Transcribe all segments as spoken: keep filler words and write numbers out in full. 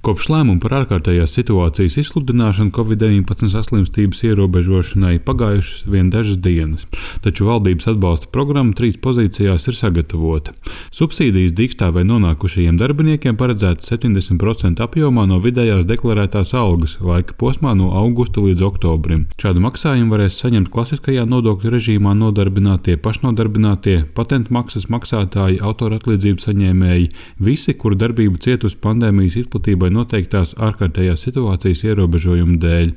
Kopš lēmuma par ārkārtējās situācijas izsludināšanu Covid deviņpadsmit saslimstības ierobežošanai pagājušas vien dažas dienas, taču valdības atbalsta programma trīs pozīcijās ir sagatavota. Subsīdijas dīkstāvē nonākušajiem darbiniekiem paredzētas septiņdesmit procentu apjomā no vidējās deklarētās algas laika posmā no augusta līdz oktobrim. Šādu maksājumu varēs saņemt klasiskajā nodokļu režīmā nodarbinātie, pašnodarbinātie, patentu maksas maksātāji, autoratlīdzību saņēmēji, visi, kuru darbība cietusi pandēmijas izplatībai noteiktās ārkārtējās situācijas ierobežojumu dēļ.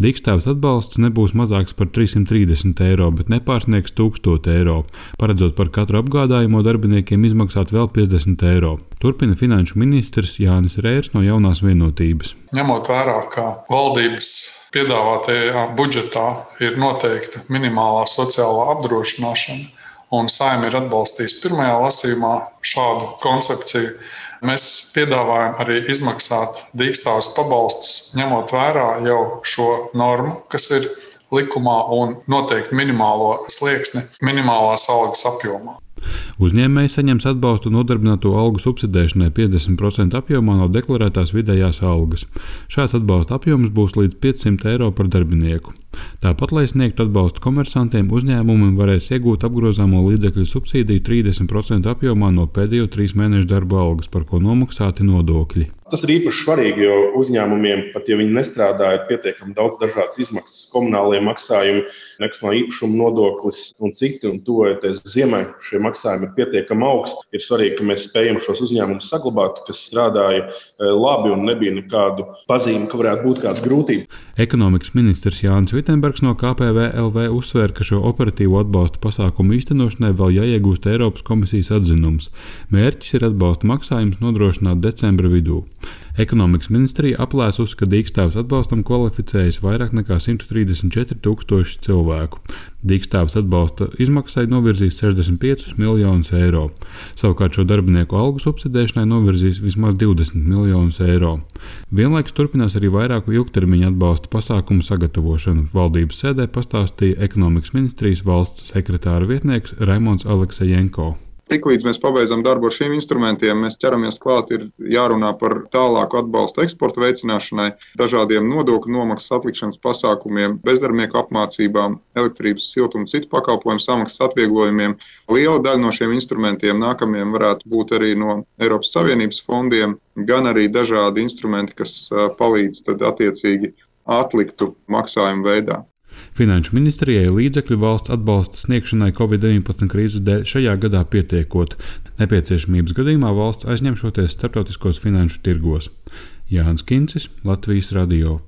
Dīkstāves atbalsts nebūs mazāks par trīs simti trīsdesmit eiro, bet nepārsniegs tūkstoš eiro, paredzot par katru apgādājumu darbiniekiem izmaksāt vēl piecdesmit eiro. Turpina finanšu ministrs Jānis Rērs no Jaunās Vienotības. Ņemot vērā, ka valdības piedāvātajā budžetā ir noteikta minimālā sociālā apdrošināšana, un Saeima ir atbalstījusi pirmajā lasījumā šādu koncepciju, mēs piedāvājam arī izmaksāt dīkstāves pabalstus, ņemot vērā jau šo normu, kas ir likumā, un noteikti minimālo slieksni minimālās algas apjomā. Uzņēmēji saņems atbalstu nodarbināto algu subsidēšanai piecdesmit procentu apjomā no deklarētās vidējās algas. Šāds atbalsta apjoms būs līdz piecsimt eiro par darbinieku. Tāpat, lai sniegtu atbalstu komersantiem, uzņēmumi varēs iegūt apgrozāmo līdzekļu subsīdiju trīsdesmit procentu apjomā no pēdējo trīs mēnešu darba algas, par ko nomaksāti nodokļi. Tas ir īpaši svarīgi, jo uzņēmumiem, pat ja viņi nestrādā, ir pietiekami daudz dažādas izmaksas, komunālie maksājumi, nekustamā īpašuma nodoklis un citi, un tuvojoties ziemai, šie maksājumi ir pietiekami augsti. Ir svarīgi, ka mēs spējam šos uzņēmumus saglabāt, kas strādāja labi un nebija nekādu pazīmi, ka varētu būt kādas grūtības. Ekonomikas ministrs Jānis Vitenbergs no K P V L V uzsvēra, ka šo operatīvo atbalsta pasākumu īstenošanai vēl jāiegūst Eiropas komisijas atzinums. Mērķis ir atbalsta maksājums nodrošināt decembra vidū. Ekonomikas ministrija aplēsusi, ka dīkstāves atbalstam kvalificējas vairāk nekā simt trīsdesmit četri tūkstoši cilvēku. Dīkstāves atbalsta izmaksai novirzīs sešdesmit piecus miljonus eiro. Savukārt šo darbinieku algu subsidēšanai novirzīs vismaz divdesmit miljonus eiro. Vienlaikus turpinās arī vairāku ilgtermiņa atbalsta pasākumu sagatavošanu. Valdības sēdē pastāstīja Ekonomikas ministrijas valsts sekretāra vietnieks Raimonds Aleksejenko. Tiklīdz mēs pabeidzam darbu ar šiem instrumentiem, mēs ķeramies klāt, ir jārunā par tālāku atbalstu eksporta veicināšanai, dažādiem nodokļu nomaksas atlikšanas pasākumiem, bezdarbnieku apmācībām, elektrības, siltuma un citu pakalpojumu samaksas atvieglojumiem. Liela daļa no šiem instrumentiem nākamajiem varētu būt arī no Eiropas Savienības fondiem, gan arī dažādi instrumenti, kas palīdz tad attiecīgi atliktu maksājumu veidā. Finanšu ministrijai līdzekļu valsts atbalsta sniegšanai Covid deviņpadsmit krīzes dēļ šajā gadā pietiekot. Nepieciešamības gadījumā valsts aizņemšoties starptautiskos finanšu tirgos. Jānis Kincis, Latvijas radio.